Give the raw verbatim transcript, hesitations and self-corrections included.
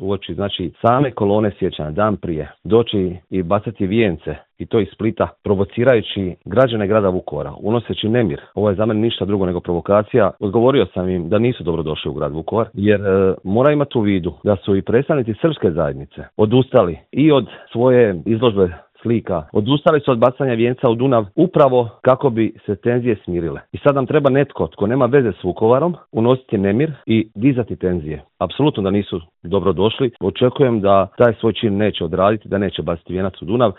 uoči znači same kolone sjećanja dan prije doći i bacati vijence i to iz Splita, provocirajući građane grada Vukovara, unoseći nemir. Ovo je za mene ništa drugo nego provokacija. Odgovorio sam im da nisu dobro došli u grad Vukovar, jer e, mora imati u vidu da su i predstavnici srpske zajednice odustali i od svoje izložbe slika, odustali su od bacanja vijenca u Dunav upravo kako bi se tenzije smirile. I sad nam treba netko tko nema veze s Vukovarom unositi nemir i dizati tenzije. Apsolutno da nisu dobro došli. Očekujem da taj svoj čin neće odraditi, da neće baciti vijenac u Dunav